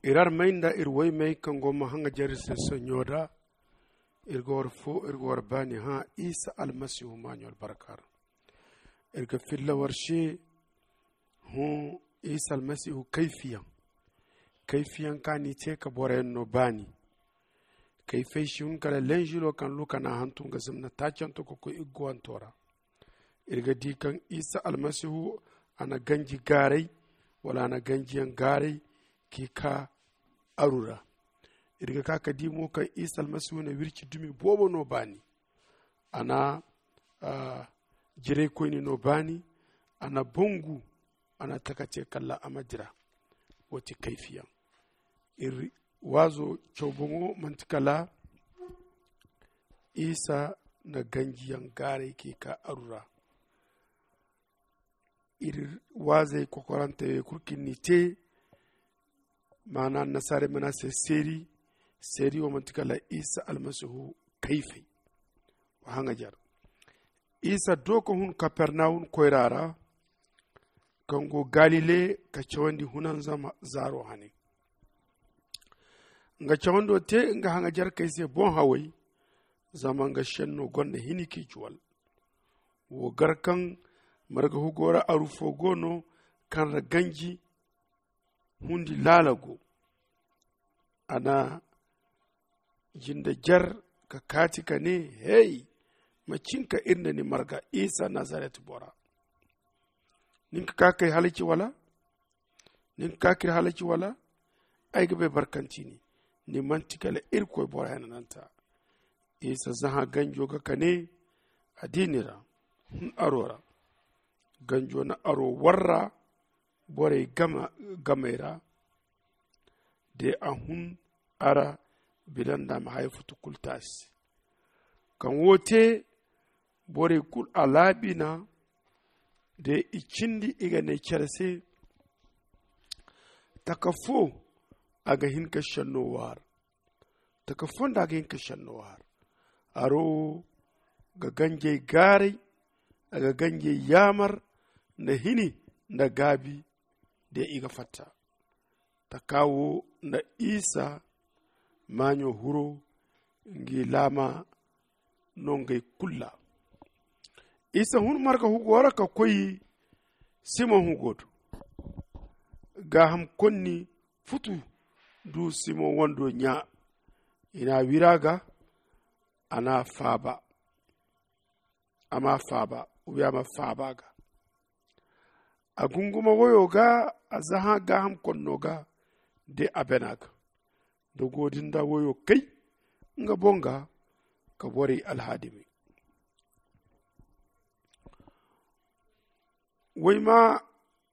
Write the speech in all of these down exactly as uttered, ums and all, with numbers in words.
Iri armey nda iri woymey kaŋ go ma haŋajer iri se soɲo ra, iri ga war fo iri ga war baani hã isa almasihu maaɲo albarka ra. Iri ga filla war se hõ isa almasihu kayfiyaŋ. Kayfiyaŋ kaŋ a n'i te ka boroyaŋ no baani. Kayfey si hun kala lenžilo kaŋ luka n'a hantum ga zama na taacanto ka koy igguwanto ra. Iri ga di kaŋ isa almasihu a na ganji gaaray wala a na ganjiyaŋ gaaray k'i ka aru ra. Iri ga ka ka di mo kaŋ isa almasihu na wirci dumi boobo no baani. A na jiraykoyne no baani. A na bangu a na taka te kala a ma dira. Wo ti kayfiyaŋ. Iri waazo caw boŋo manti kala isa na ganjiyaŋ gaaray k'i ka aru ra. Iri waazey kokorante wey kulu kaŋ ni te maana annasaarey mana se seeri. Seeri wo manti kala isa almasihu kayfey. Wa haŋajer isa do ka hun kapernawum koyra ra kaŋ go galile ka cawandi hunanzam zaaro hane. Nga cawando te nga haŋajerkey se boŋ haway. Zama nga senno gonda hini k'i juwal. Wo gar kaŋ marga hugo ra aru fo go no kaŋ ra ganji hundi laala go. A na jinde jer ka kaati ka ne, hey, ma cinka iri nda ni marga isa nazaret bora. Nin ka ka kay halaci wala? Nin ka ka k'iri halaci wala? Ay ga bay barkanti ni. Ni manti kala irkoy boro henananta. Isa zahã ganjo ga ka ne a di ni ra. Hun aro ra. Ganjo na aro warra borey gamey ra. De a hun ara bila nda a ma haya futu kulu taasi. Kaŋ wo te borey kulu a laabi na de i cindi i ga ne care se. Taka fo a ga hin ka senno waar. Taka fo nda a ga hin ka senno waar. Aro ga ganjey gaaray. A ga ganjey yaamar nda hini nda gaabi de i ga fatta. Taka wo nda isa maaɲo huro ngi laama no ngey kulu ra. Isa hun marga hugo ra ka koy simoŋ hugo do. Gaaham konni futu du simoŋ wando ɲa. I n'a wira ga a n'a faaba. A ma faaba. Ubiya ma faaba ga a gunguma woyo ga a zahã gaaham konno ga de a bena ga. Dogo din da woyo kay nga boŋ ga ka borey alhaadimey.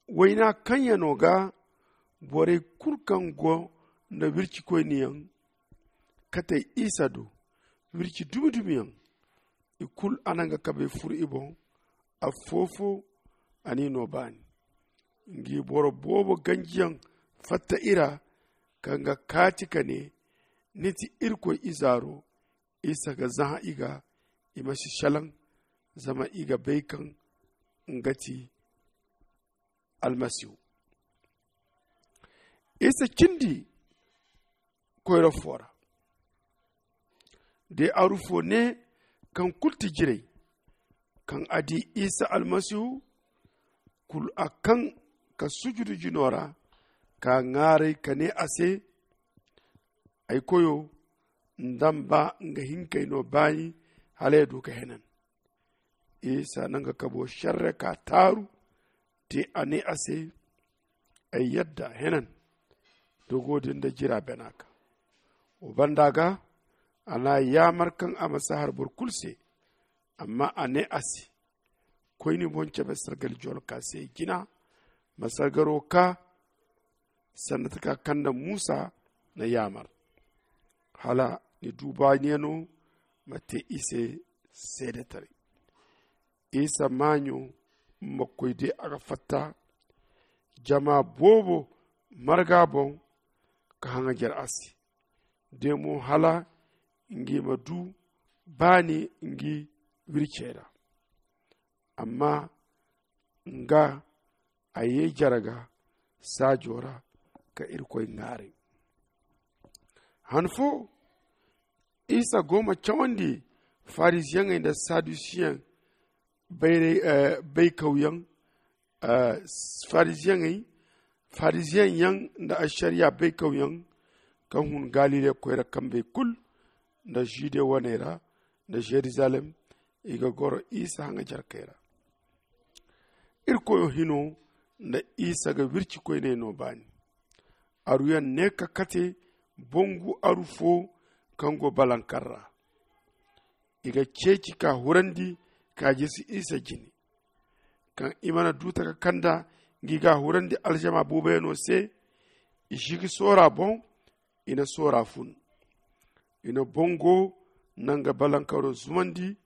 Wayna kaŋ yaŋo ga borey kulu kaŋ go nda wircikoyne yaŋ katey isa do. Wirci dumi dumi yaŋ i kulu a na nga kabey furu i boŋ. Affo-fo a n'i no baani. Ngi boro boobo ganjiyaŋ fatta i ra kaŋ ga kaati ka ne, ni ti irkoy izaaro. Isa ga zahã i ga i ma si selaŋ. Zama i ga bay kaŋ nga ti almasihu. Isa cindi koyra fo ra de aru fo ne kaŋ kulu ti jiray. Kaŋ a di isa almasihu kulu a kaŋ ka sujudu jino ra ka ŋaaray ka ne a se, ay koyo, nda ma ba nga hinkey no baani hala ya du ka henan. Isa na nga kabo serre ka taaru te a ne a se, ay yadda henan. Dogo din da jira bena ka wo banda ga a na yaamar kaŋ a ma si har boro kulu se. Amma a ne a se, koy ni boŋ cabe sargal jolka se jina. Ma sargaro ka sanda taka kaŋ nda musa na yaamar hala ni du baaniyano ma te i se seedetaray. Isa maaɲo ma koy de a ga fatta jama boobo marga boŋ ka haŋajer a se de mo hala ngi ma du baani ngi wircey ra. Amma nga a ye jare ga saajo ra ka irkoy ŋaaray. Han fo isa go ma cawandi farisiyeŋey nda sadusiyeŋ baykawyaŋ. Farisiyeŋey farisiyeŋ yaŋ nda ašariya baykawyaŋ kaŋ hun galile koyra kambey kulu nda jude waney ra nda jerusalem, i ga goro isa haŋajarkey ra. Irkoyo hino nda isa ga wirci koyney no baani. Aruyaŋ ne ka kate bongu aru fo kaŋ go balankar ra. I ga ceeci ka hurandi ka jisi isa jine. Kaŋ i mana duuta ka kanda ngi ga hurandi alžama buubayano se, i si ga soora boŋ. I na soora fun. I na bongo nanga balankaro zumandi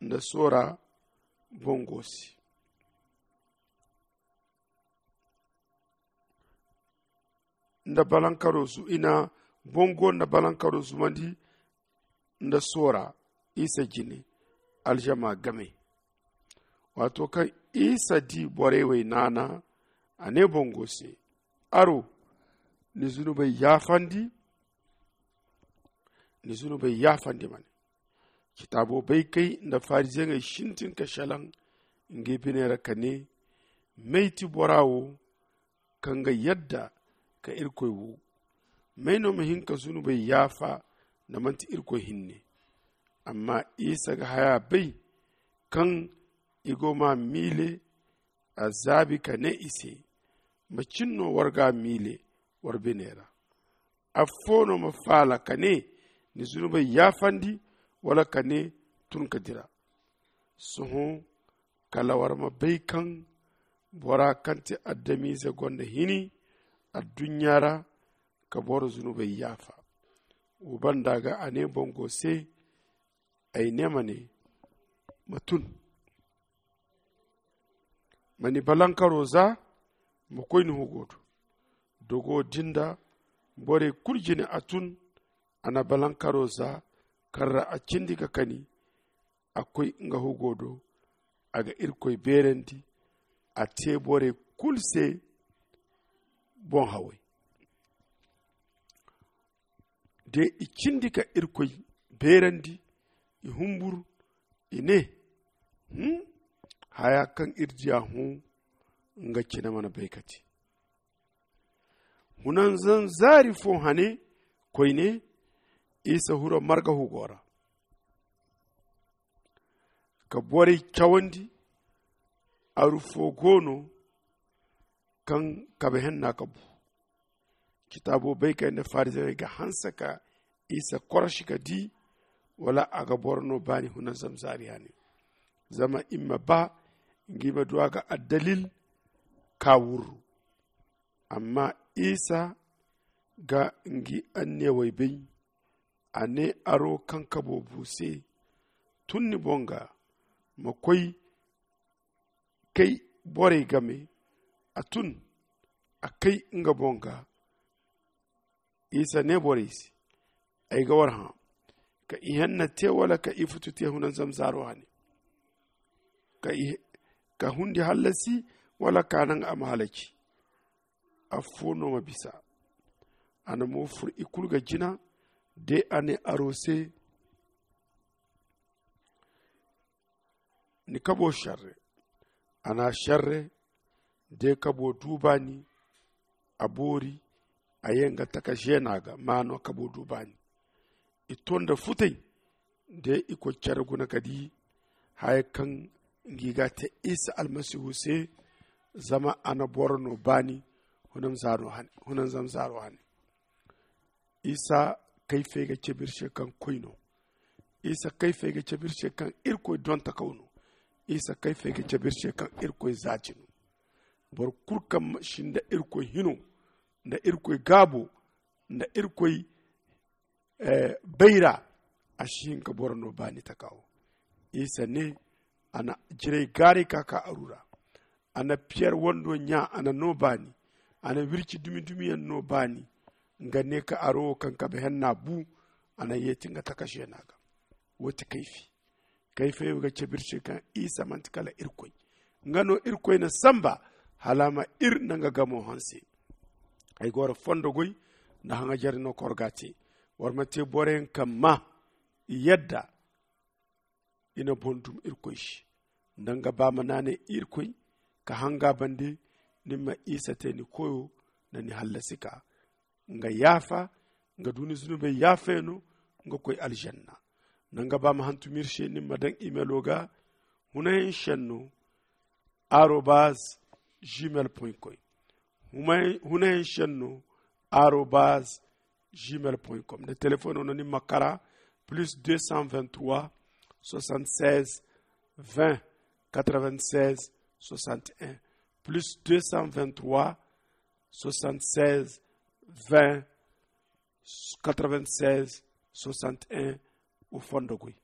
nda soora bongo se. Nda balankaro zu i na bongo nda balankaro zumandi nda soora isa jine. Alžama game. Waato kaŋ isa di borey wey naana, a ne bongo se, aro, ni zunubey yaafandi. Ni zunubey yaafandi ma ne. Citaabo baykey nda farisiyeŋey sintin ka selaŋ ngi bine ra ka ne, may ti bora wo kaŋ ga yadda ka irkoy wo? May no ma hin ka zunubey yaafa nda manti irkoy hinne? Amma isa ga haya bay kaŋ i go ma miile. A zaabi ka ne i se, macin no war ga miile war bine ra? Affo no ma faala ka ne, ni zunubey yaafandi, wala ka ne, tun ka dira? Sohõ kala war ma bay kaŋ bora kaŋ ti adamize gonda hini adduɲɲa ra ka boro zunubey yaafa. Wo banda ga a ne bongo se, ay ne ma ne, ma tun, ma ni balankaro za, ma koy ni hugo do. Dogo din da borey kulu jine a tun. A na balankaro za kaŋ ra a cindi ka kani, a koy nga hugo do. A ga irkoy beerandi, a te borey kulu se boŋ haway. De i cindi ka irkoy beerandi, i humburu, i ne, haya kaŋ iri diya hõ, nga cine mana bay ka te. Hunanzam zaari fo hane koyne, isa huro marga hugo ra ka borey cawandi. Aru fo go no kaŋ kabe henna ka bu. Citaabo bay kay nda fariziyeŋey ga hanse ka isa korosi ka di wala a ga boro no baani hunanzam zaari hane, zama i ma ba ngi ma du a ga addalil ka wurru. Amma isa ga ngi anniyawey bay. A ne aro kaŋ kabo bu se, tun ni boŋ ga, ma koy kay borey game. A tun, a kay nga boŋ ga. Isa ne borey se, ay ga war hã, ka ihenna te wala ka ifutu te hunanzam zaaro hane? Ka hundi hallasi wala ka naŋ a ma halaci? Affo no ma bisa. A na mo fur i kulu ga jina. De a ne aro se, ni kabo sharre. A na sharre. De kabo du baani. A boori. A ye nga taka zeena ga maano kabo du baani. I to nda futay. De i koy care guna ka di haya kaŋ ngi ga te isa almasihu se. Zama a na boro no baani hunanzam zaaro hane. Isa kayfey ga cabe iri se kaŋ koy no. Isa kayfey ga cabe iri se kaŋ irkoy dontakaw no. Isa kayfey ga cabe iri se kaŋ irkoy zaati no. Boro kulu kaŋ si nda irkoy hino, nda irkoy gaabo, nda irkoy bayra, a si hin ka boro no baani taka wo. Isa ne, a na jiray gaaray ka ka aru ra. A na piyer wando ɲa, a na no baani. A na wirci dumi dumiyaŋ no baani. Nga ne ka aro wo kaŋ kabe henna bu. A na yeeti nga taka zeena ga. Wo ti kayfi. Kayfey wo ga cabe iri se kaŋ isa manti kala irkoy. Nga no irkoy na samba hala a ma iri nda nga gamo hanse. Ay go ra fondo goy nda haŋajare no kor ga te. War ma te boro yaŋ kaŋ ma i yadda i na boŋ dum irkoy se. Nda nga ba ma naanay irkoy ka hanga bande, ni ma isa te ni koyo nda ni hallasi ka nga yaafa. Nga du ni zunubey yaafayano nga koy alzanna. Nda nga ba ma hantum iri se ni ma daŋ imelo ga hunayaŋ senno arobaz gmail point com. Hunayaŋ senno arobaz gmail point com nda telefono no ni ma kara plus deux cent vingt trois soixante seize vingt quatre vingt seize soixante un plus deux cent vingt trois soixante seize vingt quatre vingt seize soixante un. Wo fondo goy.